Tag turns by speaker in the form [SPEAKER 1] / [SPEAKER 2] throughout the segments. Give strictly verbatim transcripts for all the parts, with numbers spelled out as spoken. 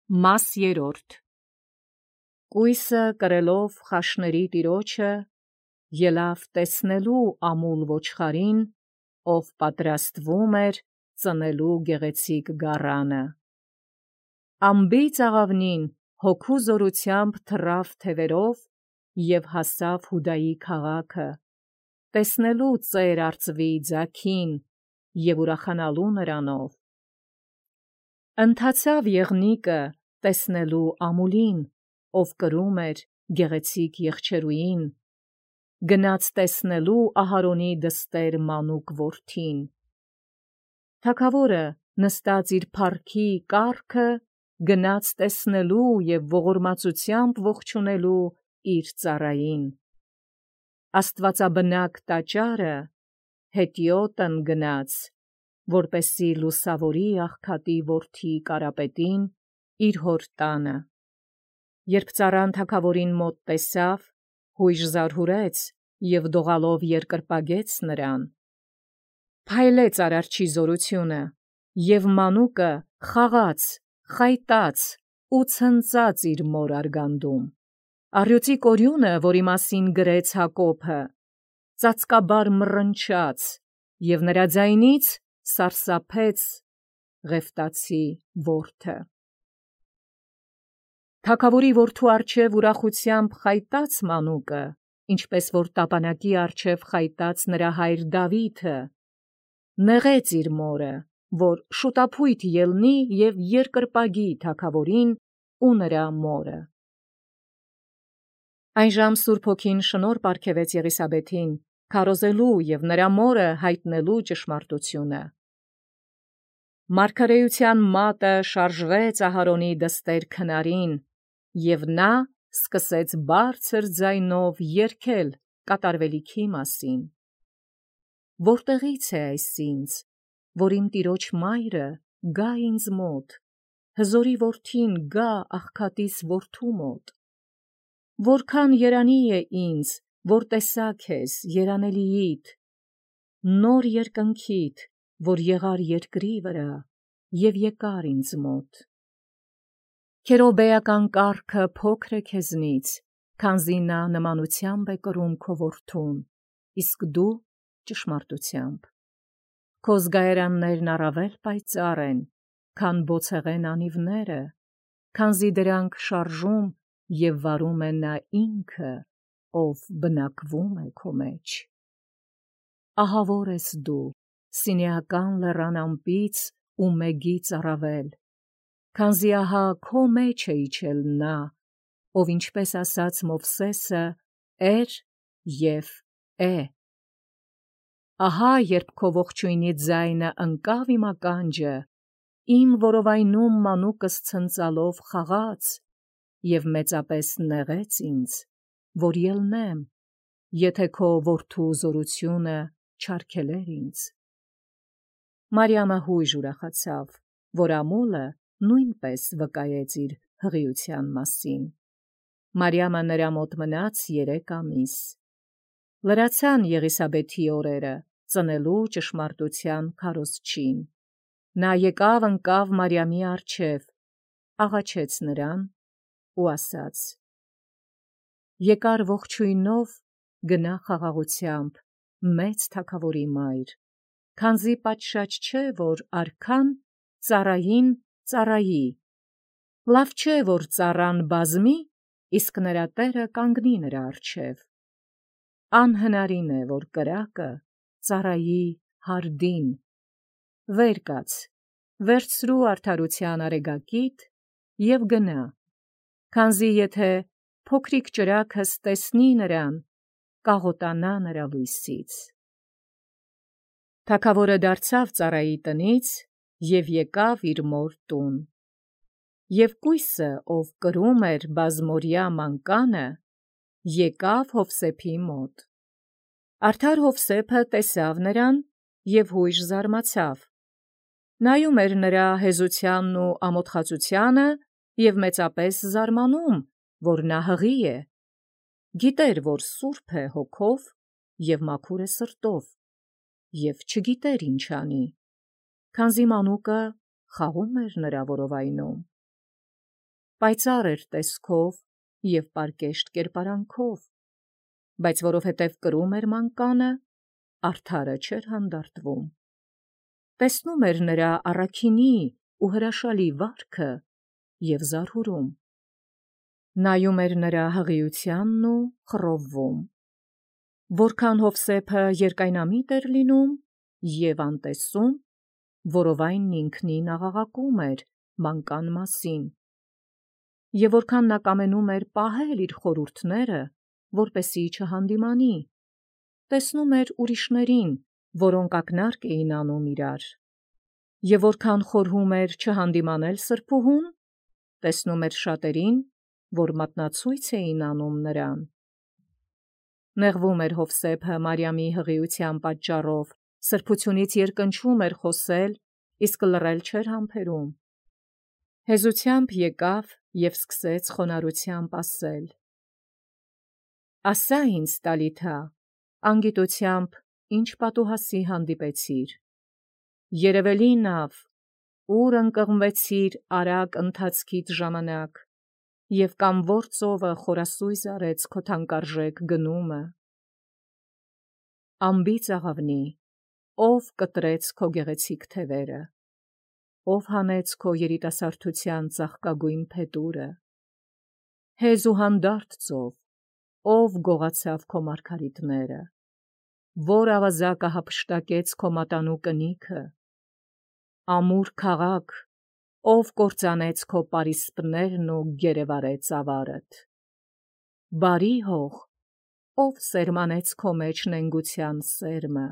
[SPEAKER 1] Մաս երրորդ. Կույսը կրելով խաշների տիրոջը, ելավ տեսնելու ամուլ ոչխարին, ով պատրաստվում էր ծնելու գեղեցիկ գառանը. Անբիծ աղավնին հոգու զորությամբ թռավ թևերով և հասավ Հուդայի քաղաքը, տեսնելու ծեր արծվի ձագին և ուրախանալու նրանով. ընթացավ եղնիկը տեսնելու ամուլին, ով կրում էր գեղեցիկ եղջերուին, գնաց տեսնելու Ահարոնի դստեր մանուկ որդին. թագավորը նստած իր փառքի կառքը գնաց տեսնելու և ողորմածությամբ ողջունելու իր ծառային. աստվածաբնակ տաճարը հետիոտն գնաց, որպեսզի լուսավորի աղքատի որդի Կարապետին իր հոր տանը. երբ ծառան թագավորին մոտ տեսավ, հույժ զարհուրեց և դողալով երկրպագեց նրան. փայլեց Արարչի զորությունը, և մանուկը խաղաց, խայտաց ու ցնծաց իր մոր արգանդում. առյուծի կորյունը, որի մասին գրեց Հակոբը, ծածկաբար մռնչաց, և նրա ձայնից սարսափեց Ղևտացի որդը. թագավորի որդու առջև ուրախությամբ խայտաց մանուկը, ինչպես որ տապանակի առջև խայտաց նրա հայր Դավիթը, նեղեց իր մորը, որ շուտափույթ ելնի և երկրպագի թագավորին ու նրա մորը. Այնժամ Սուրբ Հոգին շնորհ պարգևեց Եղիսաբեթին, քարոզելու և նրա մորը հայտնելու ճշմարտությունը. մարգարեության մատը շարժվեց Ահարոնի դստեր քնարին, և նա սկսեց բարձր ձայնով երգել կատարվելիքի մասին. Որտեղից է այս ինձ, որ իմ տիրոջ մայրը գա ինձ մոտ, հզորի որդին գա աղքատիս որդու մոտ. որքան երանի է ինձ, որ տեսա քեզ երանելիիդ, նոր երկնքիդ, որ եղար երկրի վրա և եկար ինձ մոտ. քերոբեական կառքը փոքր է քեզնից, քանզի նա նմանությամբ է կրում քո որդուն, իսկ դու ճշմարտությամբ. քո զգայարաններն առավել պայծառ են, քան բոցեղեն անիվները, քանզի դրանք շարժում և վարում է նա ինքը, ով բնակվում է քո մեջ. ահավոր ես դու Սինեական լեռան ամպից ու մեգից առավել, քանզի ահա քո մեջ է իջել նա, ով ինչպես ասաց Մովսեսը էր և է. ահա երբ քո ողջույնի ձայնը ընկավ իմ ականջը, իմ որովայնում մանուկս ցնծալով խաղաց և մեծապես նեղեց ինձ, որ ելնեմ, եթե քո որդու զորությունը չարգելեր ինձ: Մարիամը հույժ ուրախացավ, որ ամուլը նույնպես վկայեց իր հղիության մասին: Մարիամը նրա մոտ մնաց երեք ամիս: Լրացան Եղիսաբեթի օրերը ծնելու ճշմարտության քարոզչին: նա եկավ ընկավ Մարիամի առջև, աղաչեց նրան ու ասաց. եկար ողջույնով գնա խաղաղությամբ, մեծ թագավորի մայր, քանզի պատշաճ չէ, որ արքան ծառային ծառայի, լավ չէ, որ ծառան բազմի, իսկ նրա տերը կանգնի նրա առջև: անհնարին է, որ կրակը ծառայի հարդին: վեր կաց, վերցրու արդարության արեգակիդ և գնա, քանզի եթե փոքրիկ ճրագս տեսնի նրան, կաղոտանա նրա լույսից: Թագավորը դարձավ ծառայի տնից և եկավ իր մոր տուն: Եվ կույսը, ով կրում էր բազմօրյա մանկանը, եկավ Հովսեփի մոտ: Արդար Հովսեփը տեսավ նրան և հույժ զարմացավ, նայում էր նրա հեզությանն ու ամոթխածությանը և մեծապես զարմանում, որ նա հղի է, գիտեր, որ սուրբ է հոգով և մաքուր է սրտով, և չգիտեր ինչ անի, քանզի մանուկը խաղում էր նրա որովայնում: պայծառ էր տեսքով և պարկեշտ կերպարանքով, բայց որովհետև կրում էր մանկանը, արդարը չէր հանդարտվում։ Տեսնում էր նրա առաքինի ու հրաշալի վարքը և զարհուրում, նայում էր նրա հղիությանն ու խռովվում, որքան Յովսեփը երկայնամիտ էր լինում և անտեսում, որովայն ինքնին աղաղակում էր մանկան մասին, և որքան նա կամենում էր պահել իր խորհուրդները, որպեսզի չհանդիմանի, տեսնում էր ուրիշներին, որոնք ակնարկ էին անում իրար, և որքան խորհում էր չհանդիմանել սրբուհուն, տեսնում էր շատերին, որ մատնացույց էին անում նրան։ Նեղվում էր Յովսեփը Մարիամի հղիության պատճառով, սրբությունից երկնչում էր խոսել, իսկ լռել չէր համբերում։ Հեզությամբ եկավ և սկսեց խոնարհությամբ ասել. «Ասա ինձ, Տալիթա, անգիտությամբ ի՞նչ պատուհասի հանդիպեցիր։ Երևելի նավ, ուր ընկղմվեցիր արագ ընթացքիդ ժամանակ, և կամ որ ծովը խորասույզ արեց քո թանկարժեք գնումը։ Անբիծ աղավնի, ո՞վ կտրեց քո գեղեցիկ թևերը, ո՞վ հանեց քո երիտասարդության ծաղկագույն փետուրը։ Հեզ ու հանդարտ ծով, ո՞վ գողացավ քո մարգարիտները, որ ավազակը հափշտակեց քո մատանու կնիքը։ Ամուր քաղաք, ով կործանեց քո պարիսպներն ու գերեվարեց ավարդ։ Բարի հող, ով սերմանեց քո մեջ նենգության սերմը,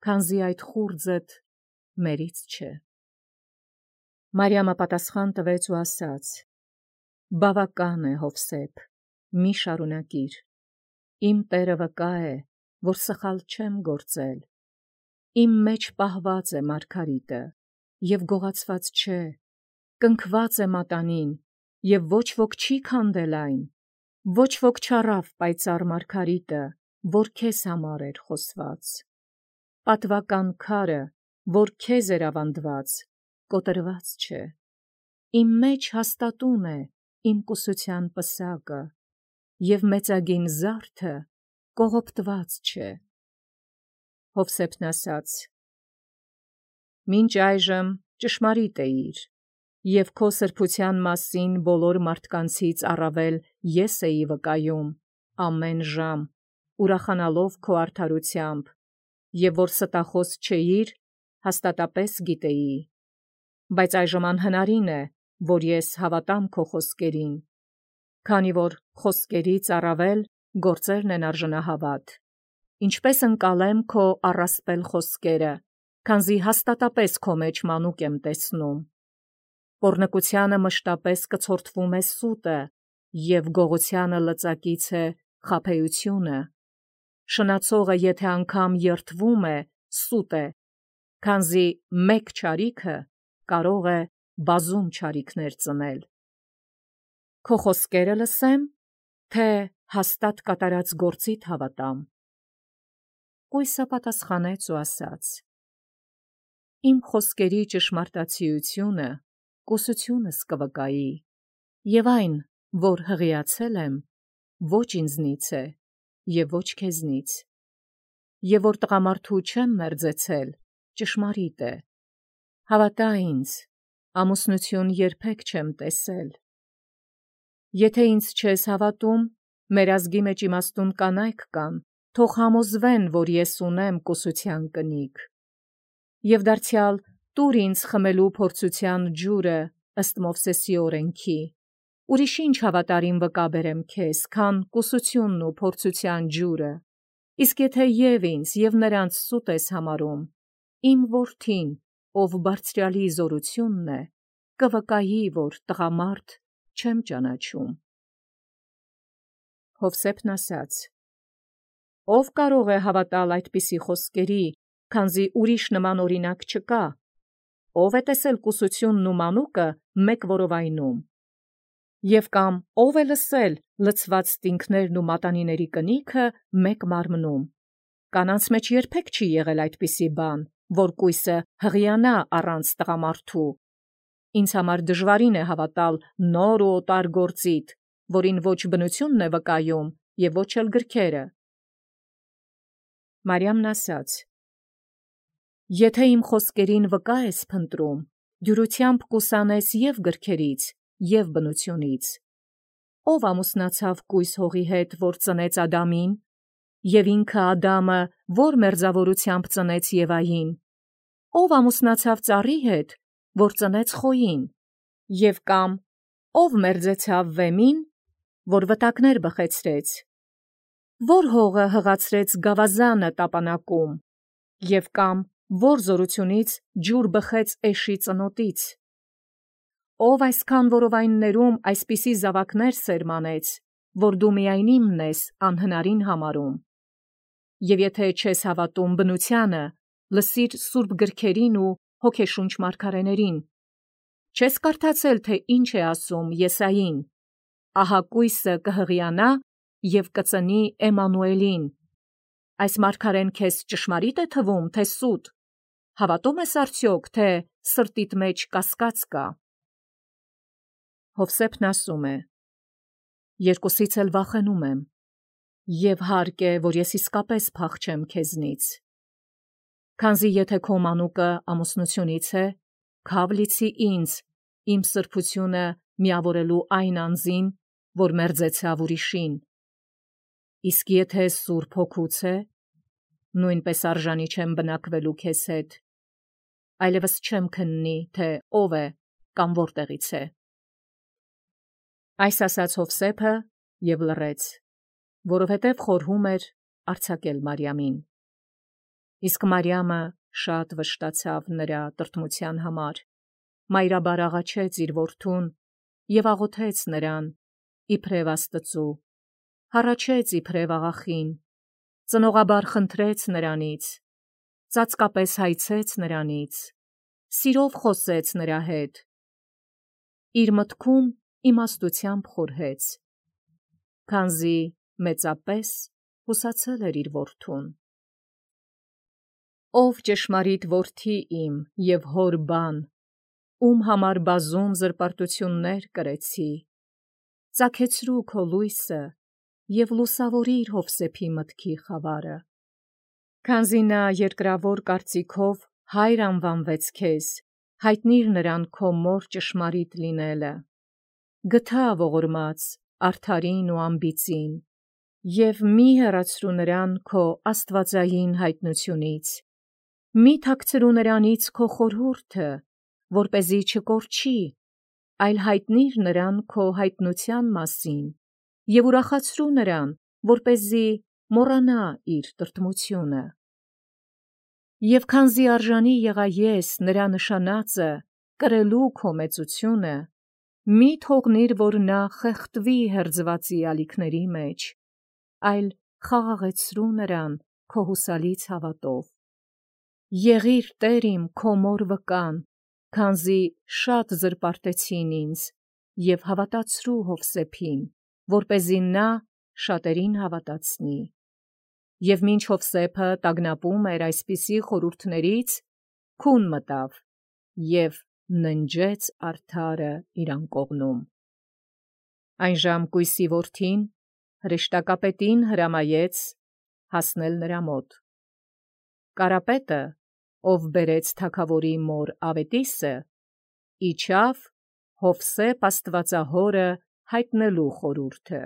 [SPEAKER 1] քանզի այդ խուრძդ մերից չէ»։ Մարիամը պատասխան տվեց ու ասաց. «Բավական է, Յովսեփ, մի շարունակիր։ Իմ Տերը վկա է, որ սխալ չեմ գործել։ Իմ մեջ պահված է մարգարիտը, և գողացված չէ, կնքված է մատանին, և ոչ ոք չի քանդել այն, ոչ ոք չառավ պայծառ մարգարիտը, որ քեզ համար էր խոսված։ Պատվական քարը, որ քեզ էր ավանդված, կոտրված չէ։ Իմ մեջ հաստատուն է իմ կուսության պսակը, և մեծագին զարդը կողոպտված չէ»։ Յովսեփն ասաց. «Մինչ այժմ ճշմարիտ էիր, և քո սրբության մասին բոլոր մարդկանցից առավել ես էի վկայում ամեն ժամ, ուրախանալով քո արդարությամբ, և որ ստախոս չէիր, հաստատապես գիտեի։ Բայց այժմ անհնարին է, որ ես հավատամ քո խոսքերին, քանի որ խոսքերից առավել գործերն են արժանահավատ։ Ինչպե՞ս ընկալեմ քո առասպել խոսքերը, քանզի հաստատապես քո մեջ մանուկ եմ տեսնում։ Պոռնկությանը մշտապես կցորդվում է սուտը, և գողությանը լծակից է խաբեությունը։ Շնացողը եթե անգամ երդվում է, սուտ է, քանզի մեկ չարիքը կարող է բազում չարիքներ ծնել։ Քո խոսքերը լսեմ, թե հաստատ կատարած գործիդ հավատամ»։ Կույսը պատասխանեց ու ասաց. «Իմ խոսքերի ճշմարտացիությունը կուսությունս կվկայի, և այն, որ հղիացել եմ, ոչ ինձնից է և ոչ քեզնից, և որ տղամարդու չեմ մերձեցել, ճշմարիտ է։ Հավատա ինձ, ամուսնություն երբեք չեմ տեսել։ Եթե ինձ չես հավատում, մեր ազգի մեջ իմաստուն կանայք կան, թող համոզվեն, որ ես ունեմ կուսության կնիկ։ Եվ դարձյալ տուր ինձ խմելու փորձության ջուրը ըստ Մովսեսի օրենքի, ուրիշ ինչ հավատարիմ վկա բերեմ քեզ, քան կուսությունն ու փորձության ջուրը։ Իսկ եթե և ինձ և նրանց սուտ ես համարում, իմ որդին, ով բարձրյալի զորությունն է, կվկայի, որ տղամարդ չեմ ճանաչում»։ Յովսեփն ասաց. «Ո՞վ կարող է հավատալ այդպիսի խոսքերի, քանզի ուրիշ նման օրինակ չկա։ Ո՞վ է տեսել կուսությունն ու մանուկը մեկ որովայնում։ Եվ կամ ո՞վ է լսել լցված ստինքներն ու մատանիների կնիքը մեկ մարմնում։ Կանանց մեջ երբեք չի եղել այդպիսի բան, որ կույսը հղիանա առանց տղամարդու։ Ինձ համար դժվարին է հավատալ նոր ու օտար գործիդ, որին ոչ բնությունն է վկայում և ոչ էլ գրքերը։ Մարիամն ասաց. Եթե իմ խոսքերին վկա ես փնտրում, դյուրությամբ կուսանես և գրքերից, և բնությունից։ Ով ամուսնացավ կույս հողի հետ, որ ծնեց Ադամին, և ինքը Ադամը, որ մերձավորությամբ ծնեց Եվային, ով ամուսնացավ ծառի հետ, որ ծնեց Խոյին, և կամ ով մերձեցավ Վեմին, որ վտակներ բխեցրեց, որ հողը հղացրեց գավազանը տապանակում, և կամ որ զորությունից ջուր բխեց էշի ծնոտից, ով այսքան որովայններում այսպիսի զավակներ սերմանեց, որ դու միայն իմն ես անհնարին համարում, և եթե չես հավատում բնությանը, լսիր սուրբ գրքերին ու հոգեշունչ մարգարեներին, չես կարդացել, թե ինչ է ասում Եսային, ահա կույսը կհղիանա և կծնի Էմանուելին, այս մարգարեն քեզ ճշմարի՞տ է թվում, թե սուտ, հավատո՞ւմ ես արդյոք, թե սրտիդ մեջ կասկած կա։ Հովսեփն ասում է. երկուսից էլ վախենում եմ, և հարկ է, որ ես իսկապես փախչեմ քեզնից, քանզի եթե քո մանուկը ամուսնությունից է, քավ լիցի ինձ, իմ սրբությունը միավորելու այն անձին, որ մերձեցավ ուրիշին, իսկ եթե Սուրբ Հոգուց է, նույնպես արժանի չեմ բնակվելու քեզ հետ, այլևս չեմ քննի, թե ով է կամ որտեղից է։ Այս ասաց Հովսեփը և լռեց, որովհետև խորհում էր արձակել Մարիամին։ Իսկ Մարիամը շատ վշտացավ նրա տրտմության համար, մայրաբար աղաչեց իր որդուն և աղոթեց նրան իբրև Աստծու, հառաչեց իբրև աղախին, ծնողաբար խնդրեց նրանից, ծածկապես հայցեց նրանից, սիրով խոսեց նրա հետ, իր մտքում իմաստությամբ խորհեց, քանզի մեծապես հուսացել էր իր որդուն։ Ով ճշմարիտ որդի իմ և հոր բան, ում համար բազում զրպարտություններ կրեցի, ծագեցրու քո լույսը և լուսավորիր Հովսեփի մտքի խավարը, քանզի նա երկրավոր կարծիքով հայր անվանվեց քեզ, հայտնիր նրան քո մոր ճշմարիտ լինելը, գթա ողորմած արդարին ու անբիծին, և մի հեռացրու նրան քո աստվածային հայտնությունից, մի թաքցրու նրանից քո խորհուրդը, որպեսզի չկորչի, այլ հայտնիր նրան քո հայտնության մասին և ուրախացրու նրան, որպեսզի մոռանա իր տրտմությունը։ Եվ քանզի արժանի եղա ես նրա նշանածը կրելու քո մեծությունը, մի թողնիր, որ նա խեղդվի հերձվածի ալիքների մեջ, այլ խաղաղեցրու նրան քո հուսալից հավատով։ Եղիր Տեր իմ քո մոր վկան, քանզի շատ զրպարտեցին ինձ, և հավատացրու Հովսեփին, որպեսզի նա շատերին հավատացնի։ Եվ մինչ Հովսեփը տագնապում էր այսպիսի խորհուրդներից, քուն մտավ և ննջեց արդարը իր անկողնում։ Այնժամ կույսի որդին հրեշտակապետին հրամայեց հասնել նրա մոտ։ Կարապետը, ով բերեց թագավորի մոր ավետիսը, իջավ Հովսեփ աստվածահորը հայտնելու խորհուրդը։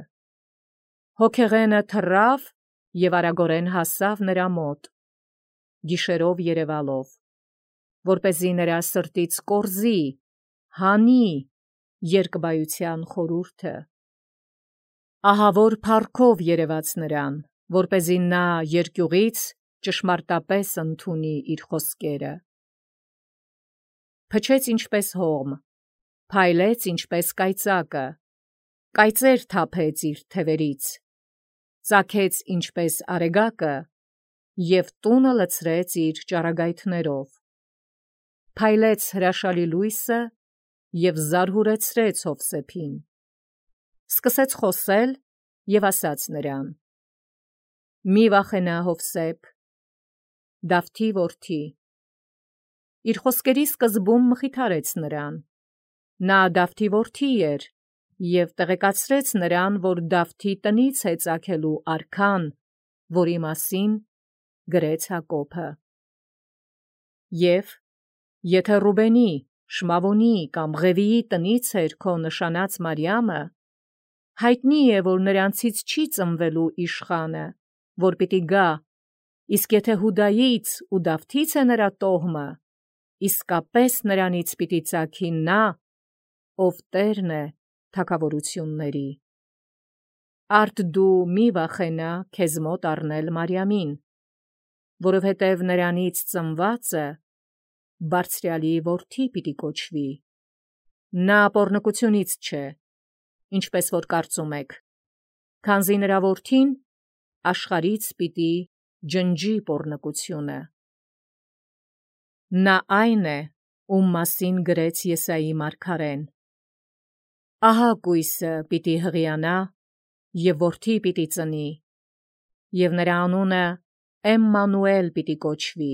[SPEAKER 1] Հոգեղենը թռավ և արագորեն հասավ նրա մոտ, գիշերով երևալով, որպեսզի նրա սրտից կորզի, հանի երկբայության խորհուրդը։ Ահավոր փառքով երևաց նրան, որպեսզի նա երկյուղից ճշմարտապես ընդունի իր խոսքերը։ Փչեց ինչպես հողմ, փայլեց ինչպես կայծակը, կայծեր թափեց իր թևերից, ծագեց ինչպես արեգակը և տունը լցրեց իր ճառագայթներով, փայլեց հրաշալի լույսը և զարհուրեցրեց Հովսեփին, սկսեց խոսել և ասաց նրան. «Մի վախենա, Հովսեփ, Դավթի որդի»։ Իր խոսքերի սկզբում մխիթարեց նրան, Նա Դավթի որդի էր, և տեղեկացրեց նրան, որ Դավթի տնից է ծագելու արքան, որի մասին գրեց Հակոբը։ Եվ եթե Ռուբենի, Շմավոնի կամ Ղևիի տնից էր քո նշանած Մարիամը, հայտնի է, որ նրանցից չի ծնվելու իշխանը, որ պիտի գա, իսկ եթե Հուդայից ու Դավթից է նրա տոհմը, իսկապես նրանից պիտի ծագի նա, ով Տերն է թագավորությունների։ Արդ դու մի վախենա քեզ մոտ առնել Մարիամին, որովհետև նրանից ծնվածը Բարձրյալի որդի պիտի կոչվի։ Նա պոռնկությունից չէ, ինչպես որ կարծում եք, քանզի նրա որդին աշխարհից պիտի ջնջի պոռնկությունը։ Նա այն է, ում մասին գրեց Եսայի մարգարեն. «Ահա կույսը պիտի հղիանա և որդի պիտի ծնի, և նրա անունը Էմմանուել պիտի կոչվի,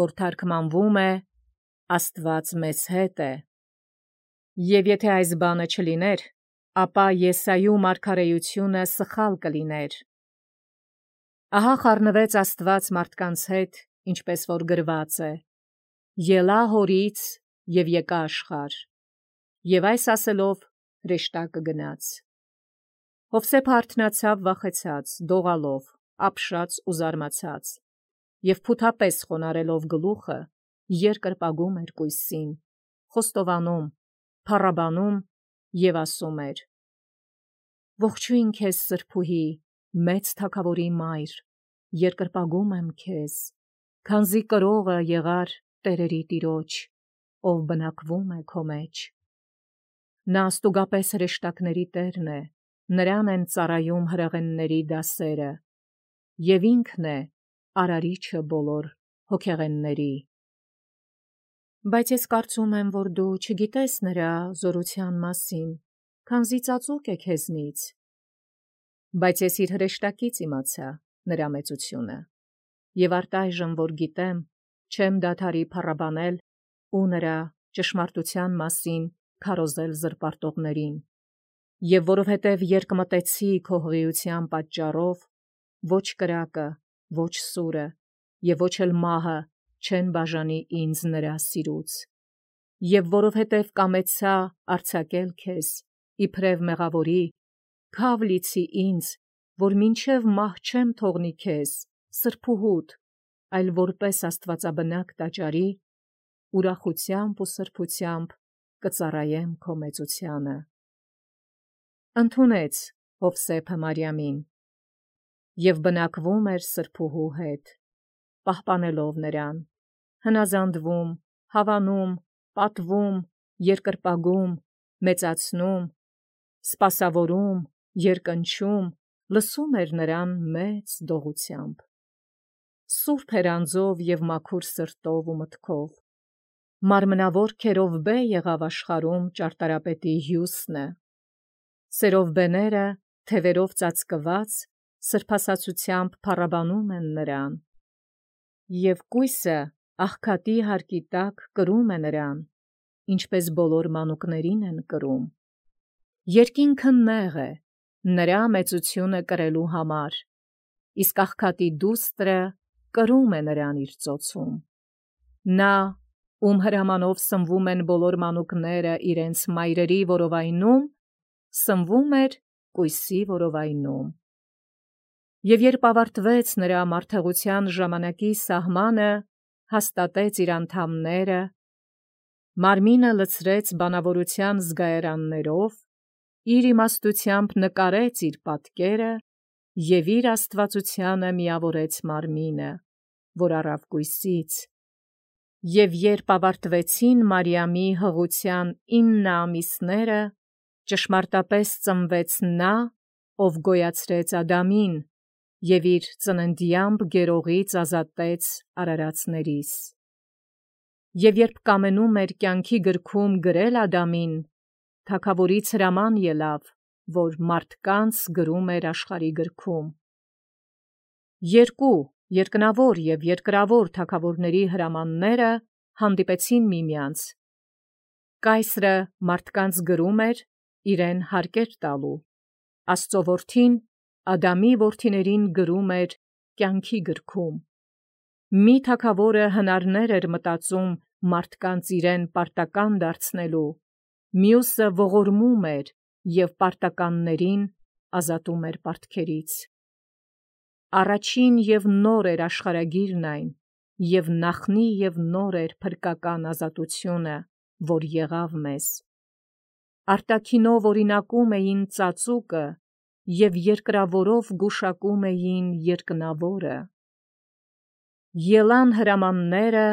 [SPEAKER 1] որ թարգմանվում է Աստված մեզ հետ է»։ Եվ եթե այս բանը չլիներ, ապա Եսայու մարգարեությունը սխալ կլիներ։ Ահա խառնվեց Աստված մարդկանց հետ, ինչպես որ գրված է. «Ելա հորից և եկա աշխարհ», և այս ասելով հրեշտակը գնաց։ Հովսեփը արթնացավ վախեցած, դողալով, ապշած ու զարմացած, և փութապես խոնարհելով գլուխը, երկրպագում էր կույսին, խոստովանում, փառաբանում և ասում էր. «Ողջույն քեզ, սրբուհի, մեծ թագավորի մայր, երկրպագում եմ քեզ, քանզի կրողը եղար տերերի Տիրոջ, ով բնակվում է քո մեջ։ Նա աստուգապես հրեշտակների Տերն է, նրան են ծառայում հրեղենների դասերը, և ինքն է արարիչը բոլոր հոգեղենների։ Բայց ես կարծում եմ, որ դու չգիտես նրա զորության մասին, քանզի ծածուկ է քեզնից։ Բայց ես իր հրեշտակից իմացա նրա մեծությունը, և արտայժմ որ գիտեմ, չեմ դադարի փառաբանել ու նրա ճշմարտության մասին քարոզել զրպարտողներին, և որովհետև երկմտեցի քո հղիության պատճառով, ոչ կրակը, ոչ սուրը և ոչ էլ մահը չեն բաժանի ինձ նրա սիրուց, և որովհետև կամեցա արձակել քեզ իբրև մեղավորի, քավ լիցի ինձ, որ մինչև մահ չեմ թողնի քեզ, սրբուհուդ, այլ որպես աստվածաբնակ տաճարի, ուրախությամբ ու սրբությամբ կծառայեմ քո մեծությանը։ Ընդունեց Հովսեփը Մարիամին և բնակվում էր սրբուհու հետ, պահպանելով նրան, հնազանդվում, հավանում, պատվում, երկրպագում, մեծացնում, սպասավորում, երկնչում, լսում էր նրան մեծ դողությամբ։ Սուրբ էր անձով և մաքուր սրտով ու մտքով, մարմնավոր քերովբե եղավ աշխարհում ճարտարապետի հյուսնը, սերովբեները թևերով ծածկված սրբասացությամբ փառաբանում են նրան, և կույսը աղքատի հարկի տակ կրում է նրան, ինչպես բոլոր մանուկներին են կրում։ Երկինքը նեղ է նրա մեծությունը կրելու համար, իսկ աղքատի դուստրը կրում է նրան իր ծոցում։ Նա, ում հրամանով սնվում են բոլոր մանուկները իրենց մայրերի որովայնում, սնվում էր կույսի որովայնում։ Եվ երբ ավարտվեց նրա մարդեղության ժամանակի սահմանը, հաստատեց իր անդամները, մարմինը լցրեց բանավորության զգայարաններով, իր իմաստությամբ նկարեց իր պատկերը և իր աստվածությանը միավորեց մարմինը, որ առավ կույսից, և երբ ավարտվեցին Մարիամի հղության ինը ամիսները, ճշմարտապես ծնվեց նա, ով գոյացրեց Ադամին և իր ծննդյամբ գերողից ազատեց արարածներիս։ Եվ երբ կամենում էր կյանքի գրքում գրել Ադամին, թագավորից հրաման ելավ, որ մարդկանց գրում էր աշխարհի գրքում։ Երկու երկնավոր և երկրավոր թագավորների հրամանները հանդիպեցին միմյանց, Կայսրը մարդկանց գրում էր իրեն հարկեր տալու, Աստծո որդին Ադամի որդիներին գրում էր կյանքի գրքում։ Մի թագավորը հնարներ էր մտածում մարդկանց իրեն պարտական դարձնելու, մյուսը ողորմում էր և պարտականներին ազատում էր պարտքերից։ Առաջին և նոր էր աշխարհագիրն այն, և նախնի և նոր էր փրկական ազատությունը, որ եղավ մեզ։ Արտաքինով օրինակում էին ծածուկը և երկրավորով գուշակում էին երկնավորը։ Ելան հրամանները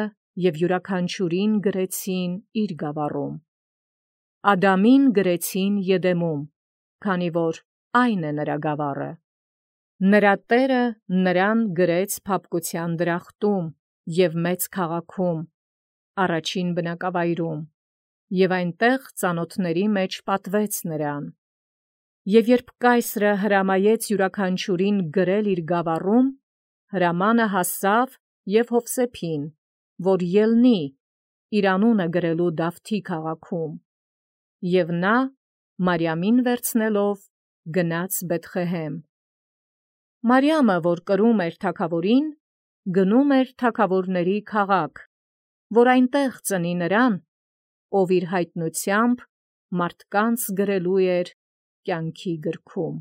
[SPEAKER 1] և յուրաքանչյուրին գրեցին իր գավառում։ Ադամին գրեցին Եդեմում, քանի որ այն է նրա գավառը։ Նրա տերը նրան գրեց փափկության դրախտում և մեծ քաղաքում, առաջին բնակավայրում, և այնտեղ ծանոթների մեջ պատվեց նրան։ Եվ երբ կայսրը հրամայեց յուրաքանչյուրին գրել իր գավառում, հրամանը հասավ և Յովսեփին, որ ելնի իր անունը գրելու Դավթի քաղաքում, և նա Մարիամին վերցնելով գնաց Բեթղեհեմ։ Մարիամը, որ կրում էր թագավորին, գնում էր թագավորների քաղաք, որ այնտեղ ծնի նրան, ով իր հայտնությամբ մարդկանց գրելու էր կյանքի գրքում։